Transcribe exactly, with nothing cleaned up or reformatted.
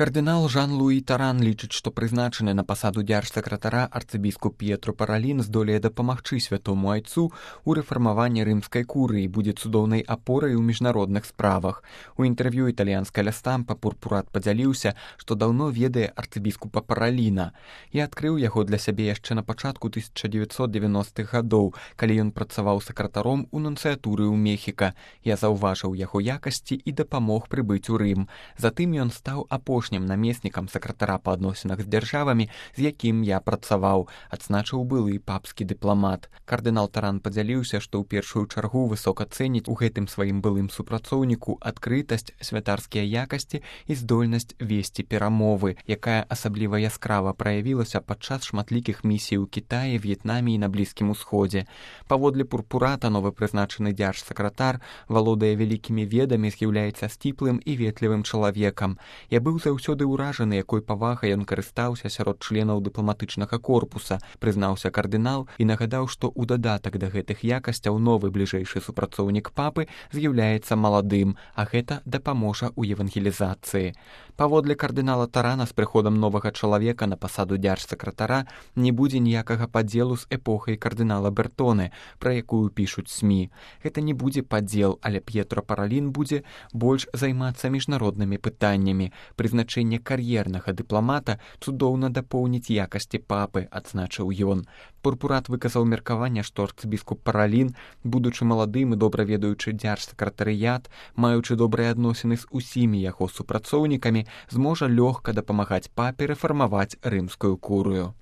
Кардынал Жан-Луі Таран лічыць, што прызначаны на пасаду дзяржсакратара арцыбіскуп П'етро Паралін здолее дапамагчы святому айцу ў рэфармаванні рымскай курыі, будзе цудоўнай апорай у міжнародных справах. У інтэрв'ю італьянскай ля Стампа Пурпурат падзяліўся, што даўно ведае арцыбіскупа Параліна. Я адкрыў яго для сябе яшчэ на пачатку тысяча дзевяцьсот дзевяностых гадоў, калі ён працаваў сакратаром у нунцыятуры ў Мехіка. Я заўважыў яго якасці і дапамог прыбыць у Рым. Затым ён стаў апошнім намеснікам сакратара па адносінах з дзяржавамі, з якім я працаваў, адзначыў былы папскі дыпламат. Кардынал Таран падзяліўся, што ў першую чаргу высока цэніць у гэтым сваім былым супрацоўніку адкрытасць, святарскія якасці і здольнасць весці перамовы, якая асабліва яскрава праявілася падчас шматлікіх місій у Кітаі, В'етнаме і на Блізкім Усходзе. Паводле Пурпурата, новы прызначаны дзяржсакратар валодае вялікімі ведамі, з'яўляецца сціплым і ветлівым чалавекам. Я быў заўсёды ўражаны, якой павагай ён карыстаўся сярод членаў дыпламатычнага корпуса, прызнаўся кардынал і нагадаў, што ў дадатак да гэтых якасцяў новы бліжэйшы супрацоўнік папы з'яўляецца маладым, а гэта дапаможа ў евангелізацыі. Паводле кардынала Тарана, з прыходам новага чалавека на пасаду дзяржсакратара не будзе ніякага падзелу з эпохай кардынала Бертоне, пра якую пішуць СМІ. Гэта не будзе падзел, але П'етро Паралін будзе больш займацца міжнароднымі пытаннямі. Прызначэнне кар'ернага дыпламата цудоўна дапоўніць якасці папы, адзначыў ён. Пурпурат выказаў меркаванне, што арцыбіскуп Паралін, будучы маладым і добра ведаючы дзяржсакратарыят, маючы добрыя адносіны з усімі яго супрацоўнікамі, зможа лёгка дапамагаць папе рэфармаваць рымскую курыю.